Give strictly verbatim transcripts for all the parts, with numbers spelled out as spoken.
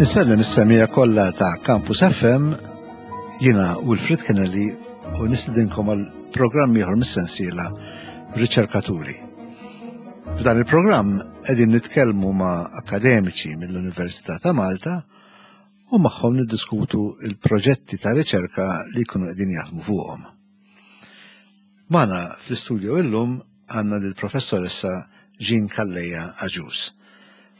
Insellem is-semmiegħa kollha ta' Campus F M, jiena Wilfred Kennelly u nistedinkom għal programm ieħor mis-sensiela Riċerkaturi. F'dan il-programm qegħdin nitkellmu ma' akademiċi mill-Università ta' Malta u magħhom niddiskutu il-proġetti ta' riċerka li jkunu qegħdin jaħdmu fuqhom. Magħna fl-istudio illum għandna lill-professoressa Jean Calleja Agius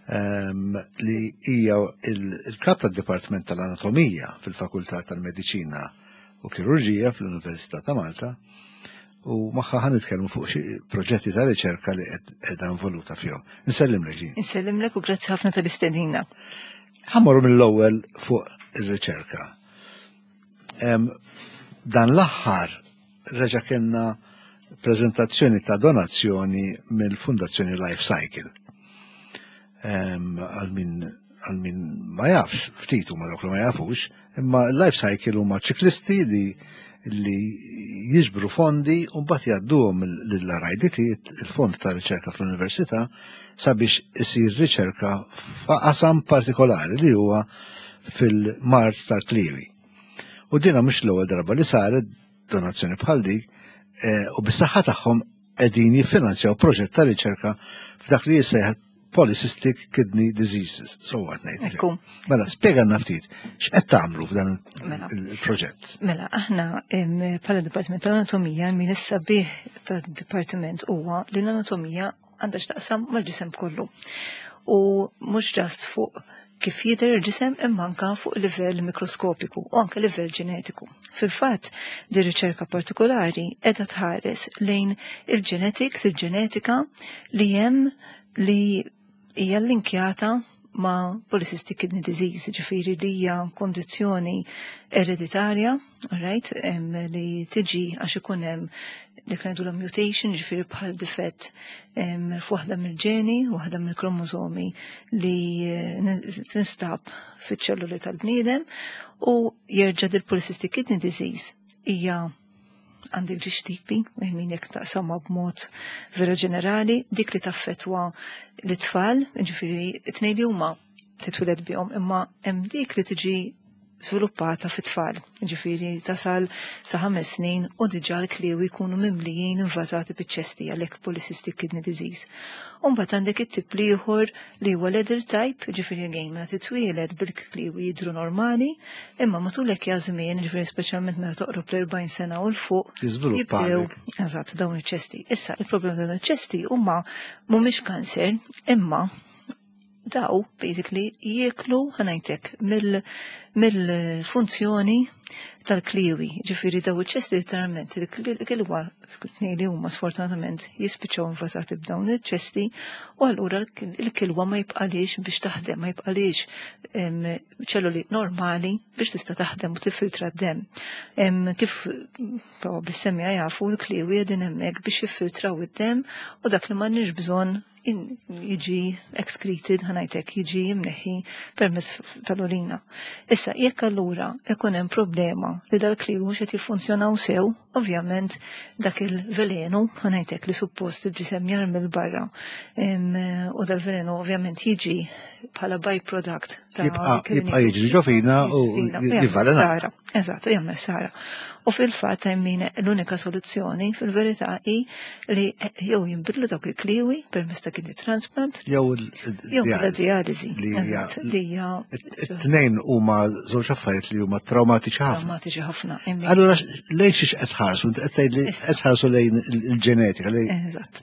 um, li hija il-kap tad-Dipartiment tal-Anatomija fil-Fakultà tal-Mediċina u Kirurġija fl-Università ta' Malta u magħha ħa nitkellmu fuq xi proġetti ta' riċerka li qiegħda involuta fihom. Insellimlek, Jean. Insellimlek u grazzi ħafna tal-istedina. Ħa mmorru mill-ewwel fuq ir-riċerka. Dan l-aħħar reġa' kellna prezentazzjoni ta' donazzjoni mill-Fundazzjoni Life Cycle. Għal min għal min ma jafx, ftit huma dawk li ma jafux, imma Life Cycle huma ċiklisti li li jiġbru fondi u mbagħad jgħadduhom lill-R I D T, il-Fond ta' Riċerka fl-Università, sabiex isir riċerka f'qasam partikolari li huwa fil-mard tal-kliewi. U dina mhux l-ewwel darba li saret donazzjoni bħal dik eh, u bis-saħħa tagħhom qegħdin jiffinanzjaw proġett ta' riċerka f'dak li jissejjaħ polycystic kidney diseases. So what ngħid. Ekku. Mela, spjegalna ftit, x'qed tagħmlu f'dan Mela. il-proġett? Mela, aħna em, bħala Dipartiment tal-Anatomija, min is-sabiħ tad-dipartiment huwa li l-anatomija għandha x'taqsam mal-ġisem kollu. U mhux just fuq kif jidher il-ġisem, imma anka fuq livell mikroskopiku u anke livell ġenetiku. Fil-fatt, di riċerka partikolari qiegħda tħares lejn il-genetics, il-ġenetika li hemm li hija linkjata ma' polycystic kidney disease, ġifieri li hija kondizzjoni ereditarja, right, em, li tiġi għax ikun hemm dik li ngħidulha mutation, ġifieri bħal difett em, f'waħda mill-ġeni, waħda mill-kromosomi li eh, tinstab fiċ-ċelluli tal-bniedem, u jerġa' dil polycystic kidney disease hija għandek żewġ tipi, min jekk taqsamha b'mod vera ġenerali, dik li taffetwa l-tfal, ġifieri it-tnejn li huma titwiled bihom, imma hemm dik li tiġi sviluppata fit-tfal, ġifieri tasal sa ħames snin u diġà l-kliewi jkunu mimlijin, invażati biċ-ċesti, għalhekk polycystic kidney disease. U mbagħad għandek it-tip l-ieħor li huwa l-adult type, ġifieri again meta titwieled bil-kliewi jidru normali, imma matul hekk żmien, ġifieri speċjalment meta toqrob l-erbgħin sena u 'l fuq, Jiżviluppa jibdew għalek. Eżatt, dawn iċ-ċesti. Issa, il-problema dawn iċ-ċesti huma mhumiex kanser, imma daw basically jieklu, ħa ngħidlek, mill-funzjoni tal-kliewi. Ġifieri daw iċ-ċesti literalment, il-kilwa li huma sfortunatament jispiċċaw invażati b'dawn iċ-ċesti u allura il-kilwa ma jibqalix biex taħdem, ma jibqalix em, ċelluli normali biex tista' taħdem u tiffiltra d-dem. Em, Kif probabbli semmiegħa jafu, l-kliewi qegħdin hemmhekk biex jiffiltraw id-dem u dak li m'għandniex bżonn in- jiġi excreted, ħa ngħidlek, jiġi jimneħi permezz tal-urina. Issa, jekk allura ikun hemm problema li dal-kliewi mhux qed jiffunzjonaw sew, ovvjament dak il-velenu, ħa ngħidlek, li suppost il-ġisem jarmi 'l barra, em, u dal-velenu ovvjament jiġi bħala byproduct ta' Jibqa' dik il- jibqa' jiġri ġo fina u Fina, u jagħmel jivvelena. ħsara. Eżatt, jagħmel ħsara. U fil-fatt min l-unika soluzzjoni fil-verità hi li jew jinbidlu dawk il-kliewi permezz ta' kidney transplant Jew il- jew bħala dialisi. dialisi. Li hija- Eżatt, li hija It-tnejn huma żewġ affarijiet li huma traumatiċi ħafna. traumatiċi ħafna. Imma- Allura lejn xiex qed tħarsu? Inti qed tgħid li Issa. qed tħarsu lejn il-ġenetika, lejn Eżatt.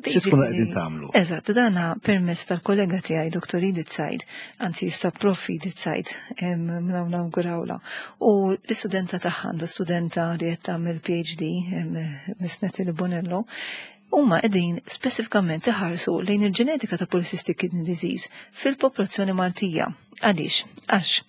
xi tkunu qegħdin tagħmlu? Eżatt, dana permezz tal-kollega tiegħi Doktor Edith Said, anzi issa Professor Edith Said, nawgurawla. U l-istudenta tagħha, għandha studenta li qed tagħmel P H D, em, Miss Natalie Bonello, huma qegħdin speċifikament iħarsu lejn il-ġenetika ta' polycystic kidney disease fil-popolazzjoni Maltija. Għaliex? Għax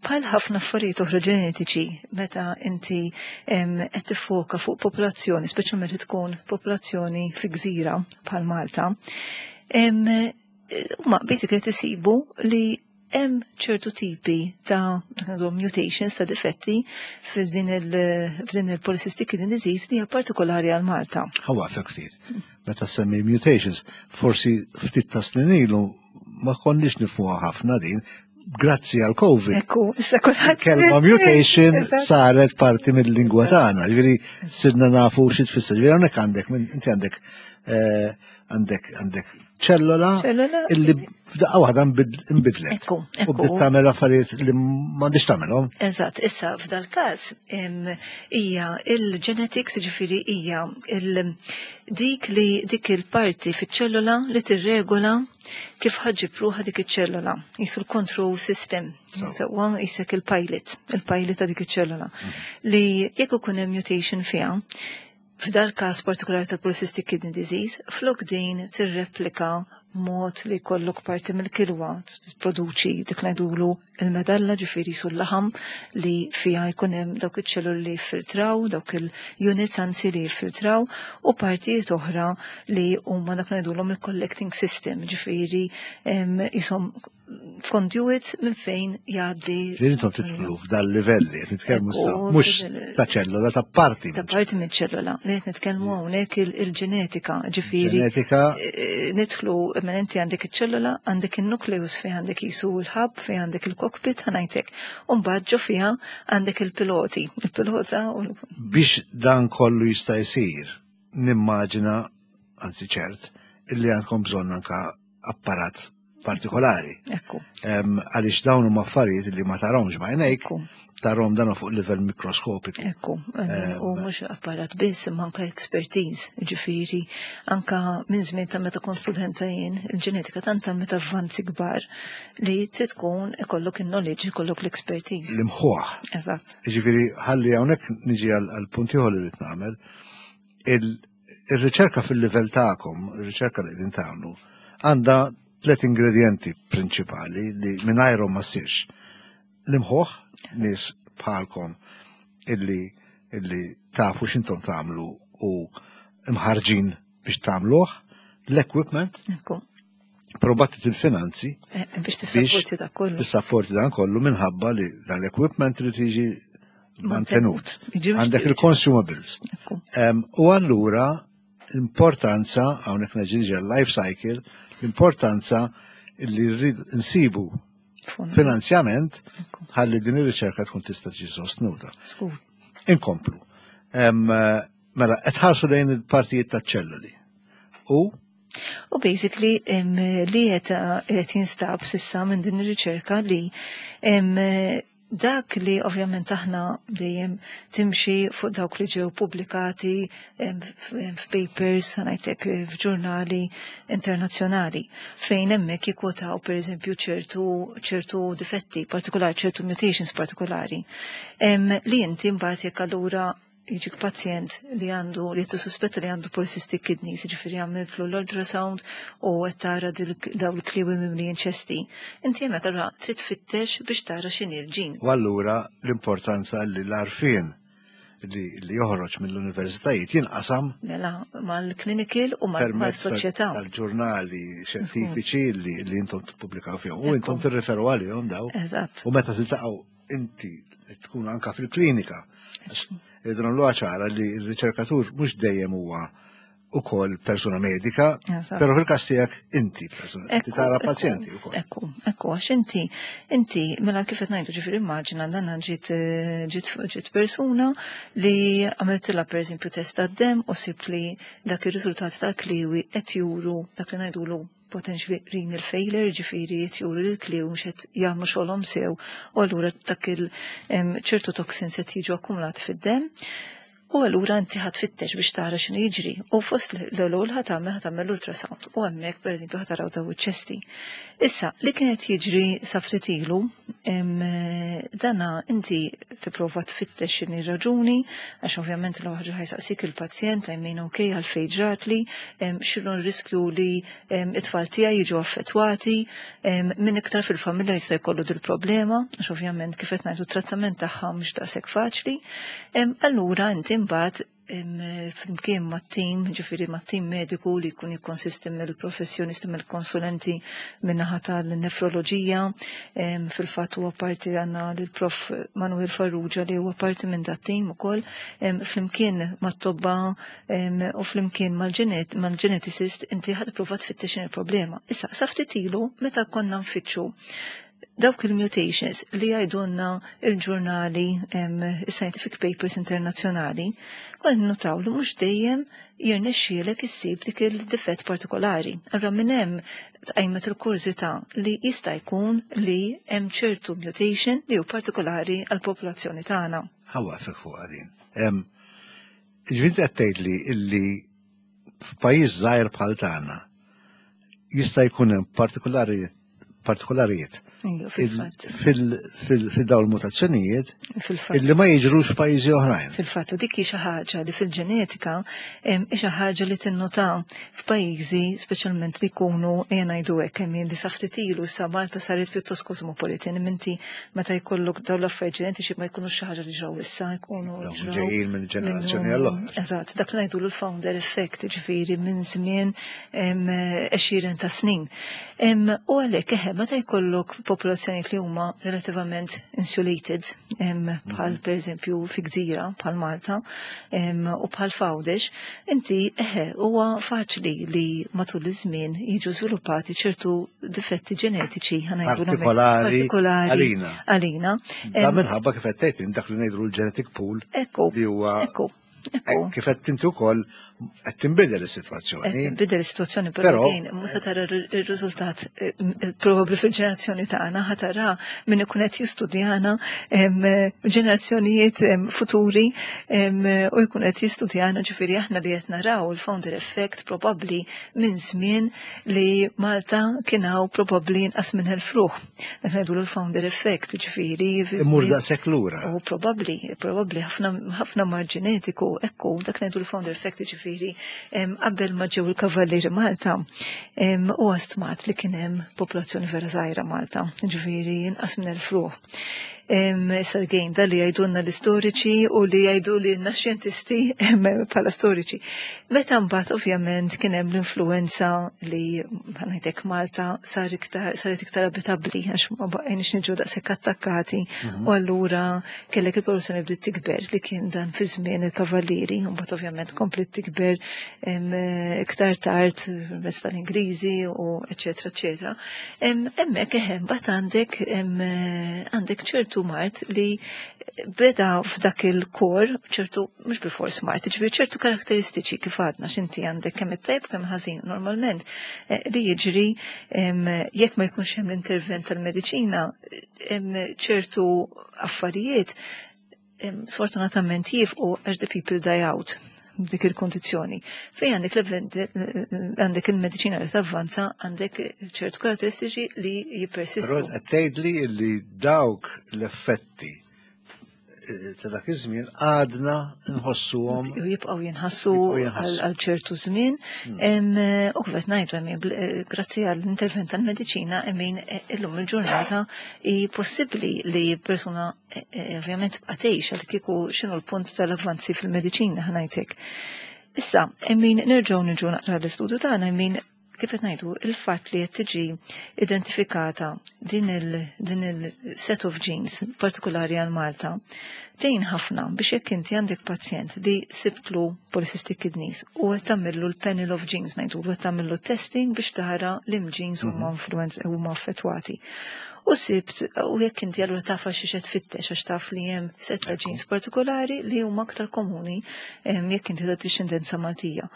bħal ħafna affarijiet oħra ġenetiċi, meta inti em, qed tiffoka fuq popolazzjoni, speċjalment li tkun popolazzjoni fi gżira bħal Malta, em, huma basically tisibu li hemm ċertu tipi ta' għandhom mutations, ta' difetti f'din il- f'din il-polycystic kidney disease li hija partikolari għal Malta. Ħa nwaqqfek ftit. Meta semmi mutations, forsi ftit ta' snin ilu ma konniex nifhmuha ħafna din. Grazzi għal Covid. Ekku, issa kulħadd. Kelma mutation saret parti mill-lingwa tagħna, ġifieri sirna nafu xi tfisser. Ġifieri hawnhekk għandek inti għandek eh, għandek għandek ċellola illi f'daqqa waħda nbidlet. Ekku, U bdiet tagħmel affarijiet li m'għandix tagħmelhom. Eżatt, issa f'dal-każ hija il-genetics, ġifieri hija dik li dik il-parti fiċ-ċellola li tirregola kif ħa ġġib ruħha dik iċ-ċellola. Qisu l-control system. Sewwa qisek il-pilot, il-pilot ta' dik iċ-ċellola. Mhm. Li jekk ikun hemm mutation fiha, f'dal każ partikolari tal-polycystic kidney disease, flok din tirreplika mod li kollok parti mill-kilwa produċi dik ngħidulu il-medalla, ġifieri sul-laħam li fija jkun hemm dawk iċ-ċelluli li jiffiltraw, dawk il-units anzi li jiffiltraw, u partijiet oħra li huma dak ngħidulhom il-collecting system, ġifieri qishom conduits minn fejn jgħaddi. Ġifieri intom tidħlu f'dal-livelli, qed nitkellmu issa mhux ta' ċellola, ta' parti. Ta' parti minn ċellola, li qed nitkellmu hawnhekk il-ġenetika, ġifieri. Ġenetika. Eh, nidħlu minn inti għandek iċ-ċellola, għandek il-nukleus fejn għandek qisu l-hub, fejn għandek il-cockpit, ħa ngħidlek. U mbagħad ġo fiha għandek il-piloti, il-pilota u Biex dan kollu jista' jsir, nimmaġina, anzi ċert, illi għandkom bżonn anka apparat partikolari. Ekku. Għaliex dawn huma affarijiet li ma tarahomx b'għajnejk, tarahom dan fuq livell mikroskopiku. Ekku, u mhux apparat biss, imma anka expertise, ġifieri, anka minn żmien ta' meta kont studenta jien, il-ġenetika tant meta avvanzi kbar li trid tkun ikollok il-knowledge, ikollok l-expertise. L-imħuħ. Eżatt. Ġifieri, ħalli hawnhekk niġi għal punt ieħor li rrid nagħmel. Il-riċerka fil-livell tagħkom, il-riċerka li qegħdin tagħmlu, għandha tlet ingredienti prinċipali li mingħajrhom ma ssirx. L-imħuħ, nies bħalkom illi illi tafu x'intom tagħmlu u imħarġin biex tagħmluh, l-equipment, Ekku. però battit il-finanzi Eh, Biex tissapporti da kollu. Tissapporti dan kollu minħabba li dan l-equipment li tiġi mantenut. Jiġi mhux Għandek tiġi. il-consumables. Ekku. Em, U allura l-importanza, hawnhekk neġi life cycle, l-importanza li rrid nsibu Fond. finanzjament Ekku. ħalli din ir-riċerka tkun tista' tiġi sostnuta. Skur. Inkomplu. Em, Mela, qed ħarsu lejn il-partijiet taċ-ċelluli. U U basically em, li qed qed jinstab s'issa minn din ir-riċerka li em, dak li ovvjament aħna dejjem timxi fuq dawk li ġew pubblikati em, f- f'papers, ħa ngħidlek, f'ġurnali internazzjonali, fejn hemmhekk jikkwotaw pereżempju ċertu ċertu difetti partikolari, ċertu mutations partikolari. Em, li inti mbagħad jekk allura jiġik pazjent li għandu li qed tissuspetta li għandu polycystic kidneys, jiġifieri għamiltlu l-ultrasound u qed tara daw il-kliwi mimlijin ċesti. Inti hemmhekk allura trid tfittex biex tara x'inhi l-ġin. U allura l-importanza li l-għarfien li, li joħroġ mill-universitajiet jinqasam Mela mal-clinical u permezz tal- mal-soċjetà. tal-ġurnali xjentifiċi li, li intom tippubblikaw fihom. U intom Ekku. tirreferu għalihom daw. Eżatt. U meta tiltaqgħu inti tkun anka fil-klinika. Għax irridu nagħmluha ċara li r-riċerkatur mhux dejjem huwa ukoll persuna medika, Eżatt. però fil-każ tiegħek inti persuna, inti Ekku, tara ekku, pazjenti wkoll. Ekku, ekku, għax inti, inti, mela kif qed ngħidu, ġifieri immaġina dan ġiet eh, ġiet ġiet persuna li għamiltilha pereżempju test tad-dem u sib li dak ir-riżultati tal-kliwi qed juru dak li ngħidulu potentially renal failure, ġifieri qed juru li l-kliwi mhux qed jagħmlu xogħolhom sew u allura dak il em, ċertu toxins qed jiġu akkumulati fid-dem. U allura inti ħa tfittex biex tara x'inhu jiġri. U fost l-ewwel ħa tagħmel ħa tagħmel ultrasound. U hemmhekk pereżempju ħa taraw daw iċ-ċesti. Issa, li kienet jiġri sa ftit ilu, em, dana inti tipprova tfittex x'inhi raġuni, għax ovvjament l ħaġa ħa jsaqsik il-pazjent, I mean, okay, għalfejn ġratli, em, x'inhu r-riskju li em, it-tfal tiegħi jiġu affettwati, em, min iktar fil-familja jista' jkollu dil-problema, għax ovvjament kif qed ngħidu trattament tagħha mhux daqshekk faċli. Em, Allura inti mbagħad em, flimkien mat-tim, ġifieri mat-tim mediku li jkun jikkonsisti mill-professjonisti, mill-konsulenti min-naħa tal-nefroloġija, em, fil-fatt huwa parti għandna l-prof Manuel Farrugia li huwa parti minn dat-tim ukoll, em, flimkien mat-tobba em, u flimkien mal-ġenet- mal-geneticist inti ħa tipprova tfittex il-problema. Issa, sa ftit ilu meta konna nfittxu Dawk il-mutations li jgħidulna il-ġurnali, scientific papers internazzjonali, konna notaw li mhux dejjem jirnexxielek issib dik il-difett partikolari. Allura minn hemm tqajmet il-kurżità li jista' jkun li hemm ċertu mutation li hu partikolari għall-popolazzjoni tagħna. Ħa nwaqqfek fuq din. Ġifieri qed tgħidli illi f'pajjiż żgħir bħal tagħna jista' jkun hemm partikolari partikolarijiet fil-dawn il-mutazzjonijiet illi ma jiġrux f'pajjiżi oħrajn. Fil-fatt, dik hi xi ħaġa li fil-ġenetika hi xi ħaġa li tinnota f'pajjiżi speċjalment li jkunu, ejja ngħidu hekk, hemm li sa ftit ilu sa Malta saret pjuttost kosmopolitan. Inti meta jkollok dawn l-affarijiet ġenetiċi ma jkunux xi ħaġa li ġraw issa, jkunu ġejjin minn ġenerazzjoni għall-oħra. Eżatt, dak li ngħidu l-founder effect, ġifieri minn żmien għexieren ta' snin. U għalhekk eħe meta jkollok popolazzjonijiet li huma relativament insulated, bħal mhm. per eżempju fi gżira bħal Malta u bħal f'Għawdex, inti eħe huwa faċli li matul iż-żmien jiġu żviluppati ċertu difetti ġenetiċi partikolari għalina. Għalina. Da minħabba kif qed tgħid dak li ngħidu l-genetic pool li huwa kif qed inti wkoll qed tinbidel is-sitwazzjoni. Qed tinbidel is-sitwazzjoni, però mhux se tara r-riżultat eh, probabbli fil-ġenerazzjoni tagħna, ħa tara min ikun qed jistudjana ġenerazzjonijiet futuri u jkun qed jistudjana. Ġifieri aħna li qed naraw il-founder effect probabbli minn żmien li Malta kien hawn probabbli inqas minn elf ruħ. Dak ngħidu l-founder effect, ġifieri. Imur daqshekk lura. U probabbli, probabbli ħafna mard ġenetiku, ekku, dak ngħidu l-founder effect, ġifieri qabel ma ġew il-kavallieri Malta, u stmat li kien hemm popolazzjoni vera żgħira Malta, ġifieri inqas minn elf ruħ. Issa again, da li jgħidulna l-istoriċi u li jgħidu li xjentisti bħala storiċi. Meta mbagħad ovvjament kien hemm l-influenza li ngħidlek Malta sar iktar saret iktar abitabbli għax ma baqgħinx niġu daqshekk attakkati mhm. u allura kellek il-popolazzjoni bdiet tikber li kien dan fi żmien il-kavallieri, u mbagħad ovvjament komplet tikber iktar tard mezz tal-Ingliżi u eċetera eċetera. Hemmhekk eħe mbagħad għandek għandek ċertu mard li beda f'dak il-kor, ċertu, mhux bil-fors mard, ġifieri ċertu karakteristiċi kif għadna x'inti għandek kemm it-tajb kemm ħażin. Normalment eh, li jiġri jekk ma jkunx hemm l-intervent tal-mediċina, ċertu affarijiet sfortunatament jifqu għax the people die out dik il-kondizjoni. Fej għandek għandek il-mediċina li tavvanza, għandek ċertu karakteristiċi li jippersistu. Però tgħidli li dawk l-effetti eh, ta' dak iż-żmien għadna nħossuhom. Jibqgħu jinħassu għal ċertu żmien. Hmm. U kif qed ngħidu, eh, grazzi għall-intervent tal-mediċina, emin eh, illum il-ġurnata hi possibbli li persuna ovvjament tibqa' tgħix, għal kieku x'inhu l-punt tal-avvanzi fil-mediċina, ħa ngħidlek. Issa, emin nerġgħu niġu naqra l-istudju tagħna, emin kif qed ngħidu il-fatt li qed tiġi identifikata din il din il-set of genes partikolari għal Malta tgħin ħafna biex jekk inti għandek pazjent li sibtlu polycystic kidneys u qed tagħmillu l-panel of genes, ngħidu qed tagħmillu testing biex tara li genes huma mhm. influenz huma affettwati. U sibt, u jekk inti allura tafa xi qed tfittex għax taf li hemm setta genes partikolari li huma aktar komuni jekk inti ta' dixxendenza Maltija.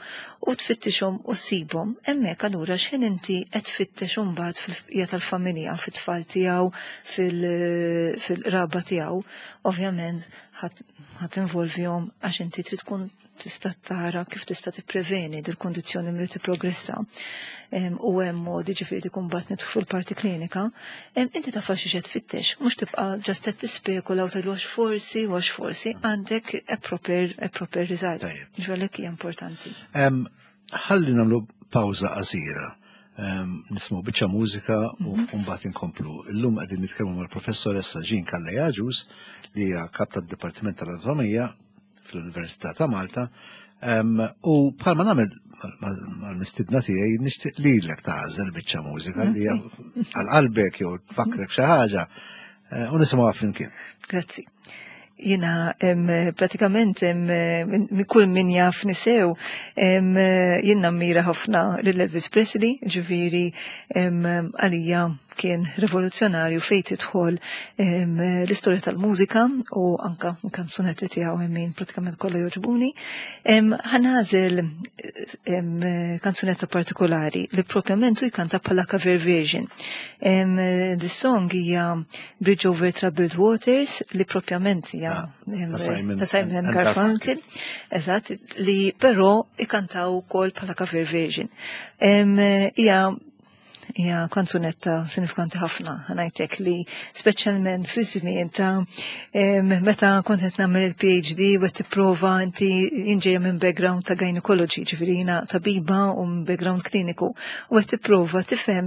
U tfittixhom u ssibhom, hemmhekk allura x'ħin inti qed tfittex imbagħad fil-bqija tal-familja, fit-tfal tiegħu, fil-qraba tiegħu, ovvjament ħa tinvolvihom għax inti trid tkun tista' tara kif tista' tippreveni dil-kondizzjoni milli tipprogressa u hemm modi, ġifieri tkun bat nidħlu fil-parti klinika, inti taf xi qed tfittex, mhux tibqa' just qed tispekula u tgħidu għax forsi u għax forsi, għandek a proper, a proper result. Ġifieri hija importanti. Ħalli nagħmlu pawża qasira. Nisimgħu biċċa mużika u mhm. mbagħad inkomplu. Illum qegħdin nitkellmu mal-professoressa Jean Calleja Agius li hija kap tad-Dipartiment tal-Anatomija fl-Università ta' Malta. U bħalma nagħmel mal-mistidna tiegħi, nixtieq lilek tagħżel biċċa mużika li għal qalbek jew tfakkrek xi ħaġa eh, u nisimgħuha flimkien. Grazzi. Jina pratikament minn kull min jaf nisew jien nammira ħafna lil Elvis Presley, ġifieri għalija kien rivoluzzjonarju fejn tidħol l-istorja tal-mużika u anka kanzunetti tiegħu min pratikament kollha jogħġbuni. Ħa nagħżel kanzunetta partikolari li propjament hu jkanta bħala cover version. This song hija Bridge Over Troubled Waters li propjament hija ta' Simon Garfunkel, eżatt, li però ikantaw ukoll bħala cover version. Hija hija kanzunetta sinifikanti ħafna, ħa ngħidlek li speċjalment fi żmien ta' meta kont qed nagħmel il-P H D u qed tipprova inti, jien ġejja minn background ta' gynecology, ġifieri jiena tabiba u minn background kliniku, u qed tipprova tifhem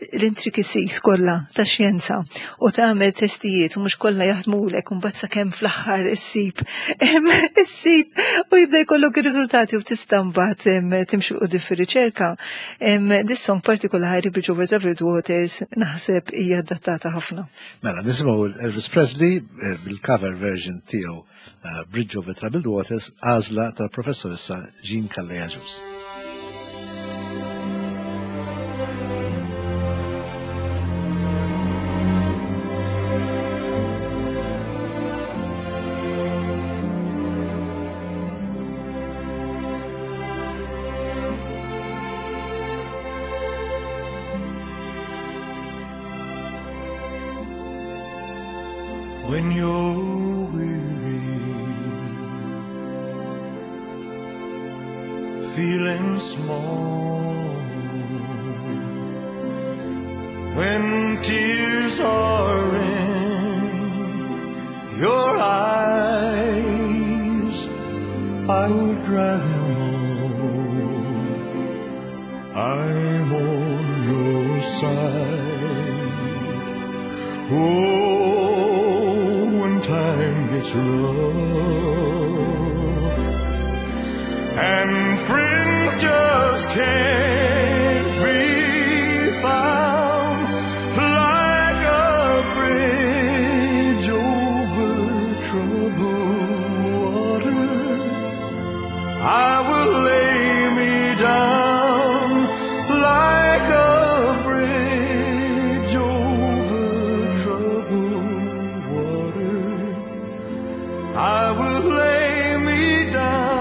l-intricacies kollha ta' xjenza u tagħmel testijiet u mhux kollha jaħdmulek, u mbagħad sakemm fl-aħħar issib issib u jibda jkollok ir-riżultati u tista' mbagħad timxi quddiem fir-riċerka. This song partikolari, Bridge Over Troubled Waters, naħseb hija adattata ħafna. Mela, nisimgħu Elvis Presley eh, bil-cover version tiegħu eh, Bridge Over Troubled Waters, għażla tal-professoressa Jean Calleja Ġus. When you're weary, feeling small, when tears are in your eyes, I will dry them all. I'm on your side. Oh, when time gets rough and friends just can't be found, like a bridge over troubled water, I will lay me down like a bridge over troubled water. I will lay me down.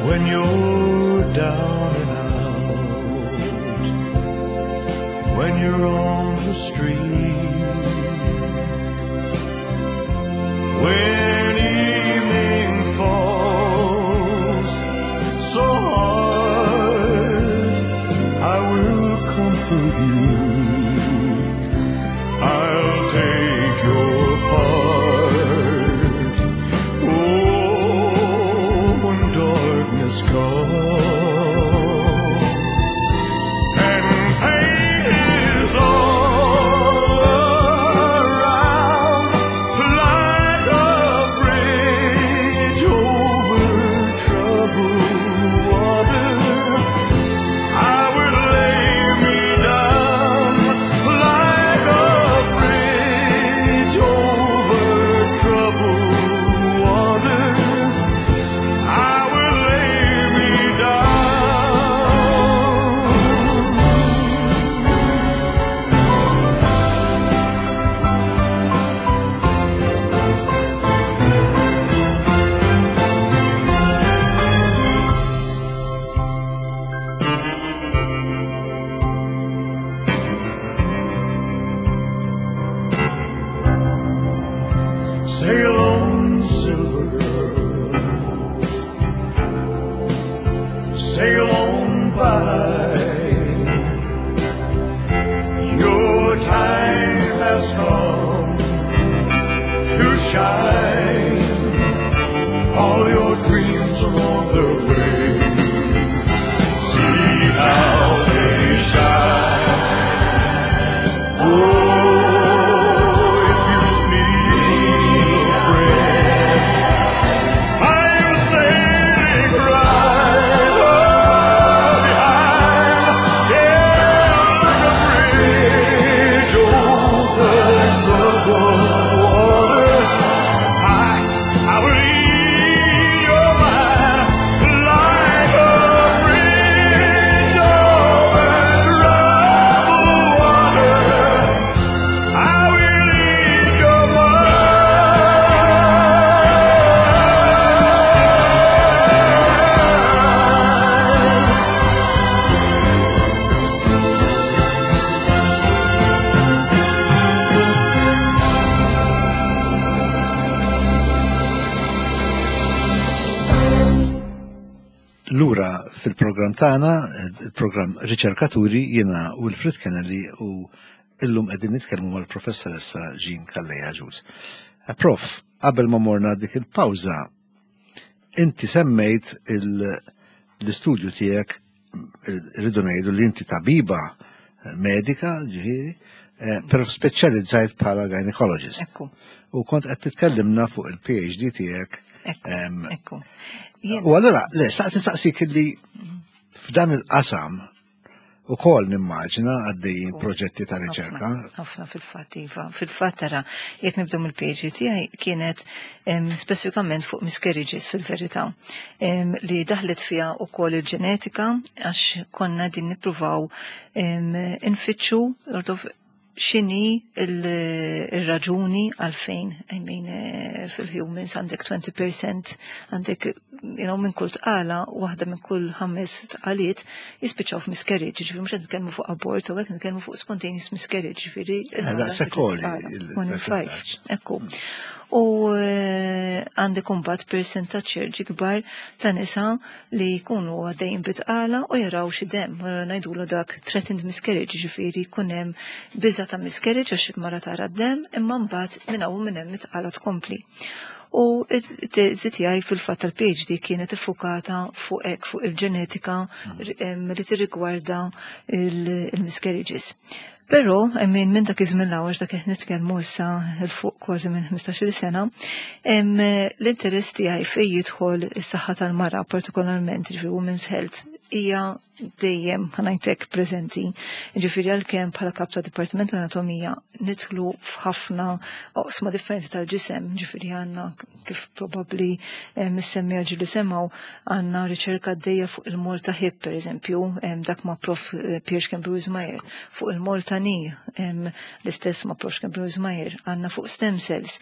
When you're down and out, when you're on the street, when evening falls so hard, I will comfort you. I'll take your part. Oh, when darkness comes and pain is all around, like a bridge over troubled water, I will lay me down like a bridge over troubled water. I will lay me down. Sail on, silver girl, sail on by. Your time has come to shine. All your dreams are on their way. See how they shine. Oh, if you need a friend, I'm sailing right behind. Yeah, like a Lura fil-programm tagħna, il-programm Riċerkaturi, jiena Wilfred Kennelly u illum qegħdin nitkellmu mal-professoressa Jean Calleja Agius. Eh, Prof, qabel ma morna dik il-pawża, inti semmejt l-istudju tiegħek, rridu ngħidu li inti tabiba eh, medika, ġifieri, eh, però speċjalizzajt bħala gynecologist. Ekku. U kont qed titkellimna fuq il-P H D tiegħek. Ekku. U allura, le, staqt nistaqsik li f'dan il-qasam ukoll nimmaġina għaddejjin proġetti ta' riċerka. Ħafna fil-fatt, iva. Fil-fatt tara, jekk nibdew mill-P H D tiegħi kienet speċifikament fuq miscarriages fil-verità, li daħlet fiha ukoll il-ġenetika għax konna din nippruvaw infittxu x'inhi il-raġuni għalfejn, I mean, eh, fil-humans għandek twenty percent, għandek you know, minn kull tqala, waħda minn kull ħames tqaliet jispiċċaw f'miscarriage, ġifieri mhux qed nitkellmu fuq abort, u hekk nitkellmu fuq spontaneous miscarriage, ġifieri. Eh, One in five. Ekku. U eh, għandek imbagħad percentaġġ kbar ta' nisa li jkunu għaddejjin bit-tqala u jaraw xi demm, ngħidulu dak threatened miscarriage, ġifieri jkun hemm biża ta' miscarriage għax il-mara tara d-demm, imma mbagħad minn hawn minn hemm it-tqala tkompli. U it-teżi tiegħi fil-fatt tal-P H D kienet iffukata fuq hekk, fuq il-ġenetika li tirrigwarda il-miscarriages. Però, I mean, minn dak iż-żmien l dak qed nitkellmu issa 'l fuq kważi minn ħmistax-il sena, l-interess tiegħi fejn jidħol is-saħħa tal-mara, partikolarment ġifieri women's health, hija dejjem, ħa ngħidlek, preżenti. Ġifieri għalkemm bħala kap ta' Dipartiment tal-Anatomija nidħlu f'ħafna oqsma differenti tal-ġisem, ġifieri għandna, kif probabbli eh, missemmija ġili semgħu, għandna riċerka għaddejja fuq il-Malta Hip, per eżempju, dak ma' Prof eh, Pierre Schembri Meyer, fuq il-Malta Knee, l-istess ma' Prof Schembri Meyer, għandna fuq stem cells,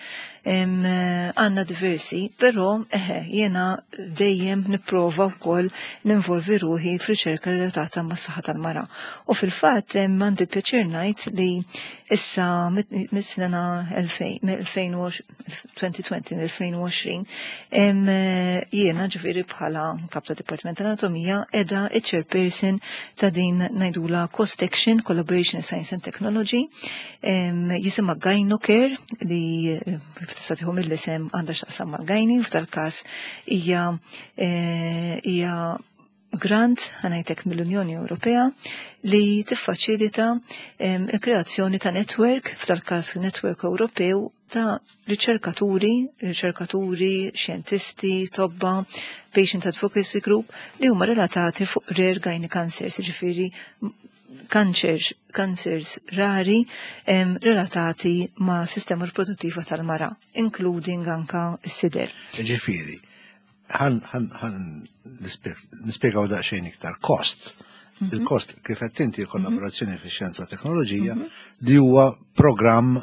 għandna diversi, però eħe, jiena dejjem nipprova wkoll ninvolvi ruħi f'riċerka relatata ma' saħħa tal-mara. U fil-fatt għandi pjaċir ngħid li issa mis-sena elfejn u għoxrin, jiena ġifieri bħala kap ta' Dipartiment tal-Anatomija edha chairperson ta' din ngħidulha Cost Action Collaboration Science and Technology, jisimha Gynocare, li tista' tieħu mill-isem għandha x'taqsam mal-gynae, f'dal-każ hija eh, hija grant, ħa ngħidlek, mill-Unjoni Ewropea li tiffaċilita il-kreazzjoni ta' network, f'dal-każ network Ewropew ta' riċerkaturi, riċerkaturi, xjentisti, tobba, patient advocacy group li huma relatati fuq rare gyne cancers, ġifieri cancers, cancers rari em, relatati ma' sistema riproduttiva tal-mara, including anka s-sider. Ġifieri, ħan ħan nispjegaw daqsxejn iktar cost. Mhm. Il-cost, kif qed inti, kollaborazzjoni mm -hmm. fix-xjenza teknoloġija mm -hmm. li huwa programm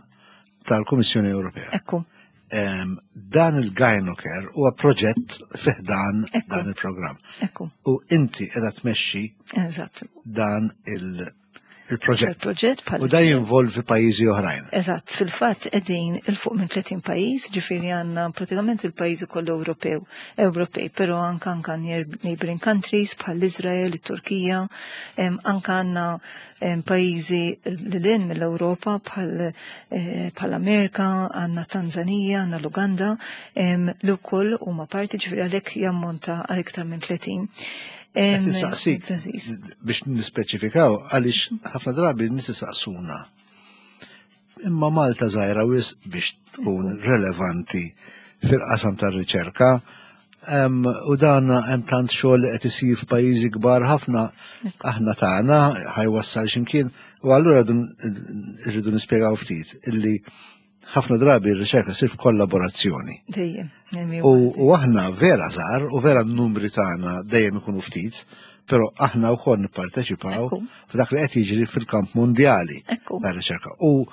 tal-Kummissjoni Ewropea. Ekku. Um, dan il-Gynocare huwa proġett fi ħdan dan il-programm. Ekku. U inti qiegħda tmexxi Eżatt. dan il- il-proġett. Il-proġett bħal U dan jinvolvi pajjiżi oħrajn. Eżatt, fil-fatt qegħdin 'il fuq minn tletin pajjiż, ġifieri għandna pratikament il-pajjiżi kollu Ewropew, Ewropej, però anka anka neighboring countries bħal Izrael, it-Turkija, em, anka għandna em, pajjiżi lil mill-Ewropa bħal eh, bħal Amerika, għandna Tanzania, għandna l-Uganda, em, li wkoll huma parti, ġifieri għalhekk jammonta għal iktar minn tletin. Em, Qed nistaqsik biex nispeċifikaw għaliex ħafna drabi nies isaqsuna. Imma Malta żgħira wisq biex tkun relevanti fil-qasam tar-riċerka. Em, u dan hemm tant xogħol li qed isir f'pajjiżi kbar ħafna, aħna tagħna ħa jwassal x'imkien? U allura rridu nispjegaw ftit illi ħafna drabi r-riċerka ssir f'kollaborazzjoni. Dejjem. U, u aħna vera żgħar u vera n-numri tagħna dejjem ikunu ftit, però aħna wkoll nipparteċipaw Ekku. f'dak li qed jiġri fil-kamp mondjali Ekku. tar-riċerka. U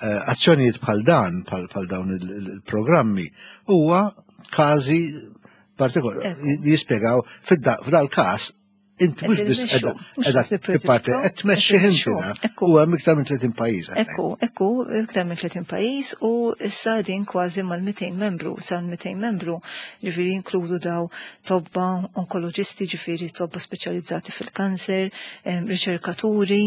eh, azzjonijiet bħal dan, bħal bħal dawn il- il- il-programmi, huwa każi partikolari Ekku. li jispjegaw fid-da- f'dal każ Inti mhux biss qiegħda tipparti qed tmexxi inti da. U hemm iktar minn tletin pajjiż. Ekku, ekku, iktar minn tletin pajjiż u issa din kważi mal-mitejn membru, sa mitejn membru, ġifieri inkludu daw tobba onkoloġisti, ġifieri tobba speċjalizzati fil-kanser, riċerkaturi,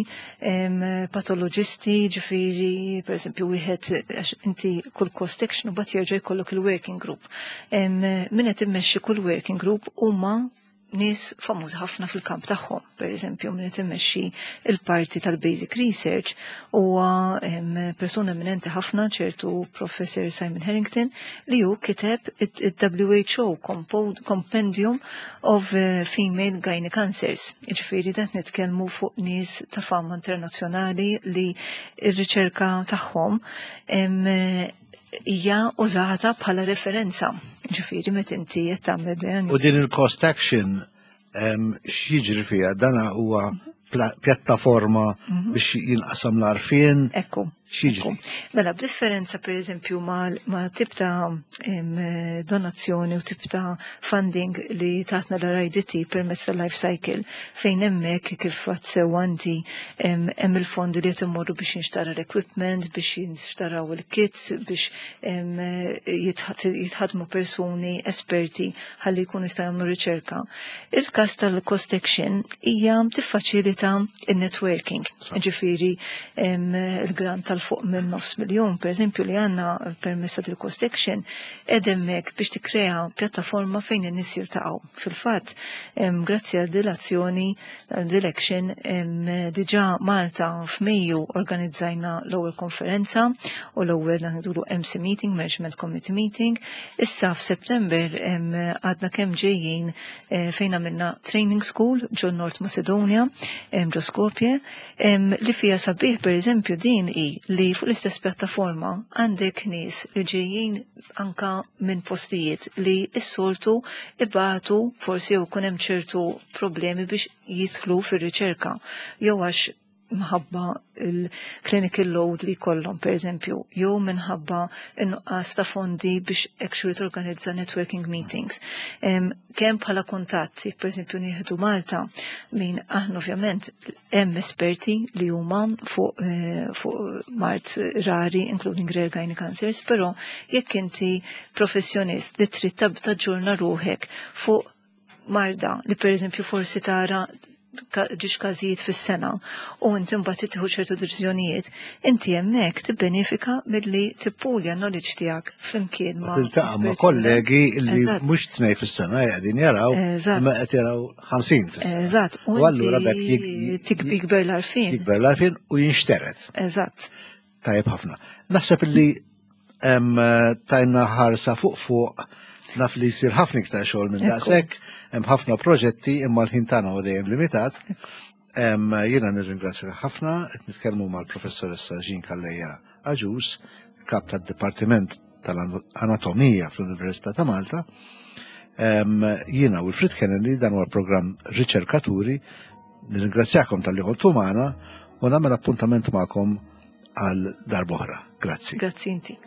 patoloġisti, ġifieri pereżempju wieħed inti kull cost action u bat jerġa' jkollok il-working group. Min qed immexxi kull working group huma nies famużi ħafna fil-kamp tagħhom. Per eżempju, min qed immexxi il-parti tal-basic research huwa persuna eminenti ħafna, ċertu Professor Simon Harrington, li hu kiteb il-W H O Compendium of eh, Female Gynae Cancers. Ġifieri dat nitkellmu fuq nies ta' fama internazzjonali li r-riċerka tagħhom hija użata bħala referenza. Ġifieri meta inti qed tagħmel U din il-cost action, x'jiġri fiha? Dana huwa pjattaforma mhm. biex jinqasam l-għarfien. Ekku. X'jiġri? Mela, b'differenza per eżempju ma' tip ta' donazzjoni u tip ta' funding li tatna l-R I D T permezz tal-life cycle, fejn hemmhekk kif għedt sew inti hemm il-fondi li qed imorru biex jinxtara l-equipment, biex jinxtaraw il-kits, biex jitħadmu persuni esperti ħalli jkunu jistgħu jagħmlu riċerka. Il-każ tal-cost action hija tiffaċilita il-networking. Ġifieri il-grant tal-fuq minn nofs miljon, per eżempju, li għandna permezz tal-cost action, edemmek biex tikkrea pjattaforma fejn in-nies jiltaqgħu. Fil-fatt, grazzi għal dil-azzjoni, dil-action, diġà Malta f'Mejju organizzajna l-ewwel konferenza u l-ewwel ngħidulu M C meeting, Management Committee meeting. Issa f'September għadna kemm ġejjin eh, fejn għamilna training school ġo North Macedonia, ġo Skopje, li fija sabiħ per eżempju din i li fuq l-istess pjattaforma għandek nies li ġejjin anka minn postijiet li s-soltu ibatu forsi jew kun hemm ċertu problemi biex jidħlu fir-riċerka jew għax minħabba il-clinical load li kollhom, per eżempju, jew minħabba in-nuqqas ta' fondi biex actually torganizza networking meetings. Kemm bħala kuntatt, jekk per eżempju nieħdu Malta, min aħna ovvjament hemm esperti li huma fuq eh, fuq mard rari, including rare gynae cancers, però jekk inti professjonist li trid taġġorna ruħek fuq marda li per eżempju forsi tara ġiex każijiet fis-sena u inti mbagħad tieħu ċertu deċiżjonijiet, inti hemmhekk tibbenefika milli tippulja knowledge tiegħek flimkien ma' Tiltaqa' ma' kollegi li mhux tnej fis-sena qegħdin jaraw, imma qed jaraw ħamsin fis-sena. Eżatt. U allura bekk jikber l-għarfien. Jikber l-għarfien u jinxteret. Eżatt. Tajjeb ħafna. Naħseb illi tajna ħarsa fuq fuq. Naf li jsir ħafna iktar xogħol minn daqshekk, hemm ħafna proġetti, imma l-ħin tagħna huwa dejjem limitat. Jiena nirringrazzja ħafna. Qed nitkellmu mal-professoressa Jean Calleja Agius, kap tad-Dipartiment tal-Anatomija fl-Università ta' Malta. Jiena Wilfred Kennedy, dan huwa programm Riċerkaturi. Nirringrazzjakom talli kontu magħna u nagħmel appuntament magħkom għal darb'oħra. Grazzi. Grazzi inti.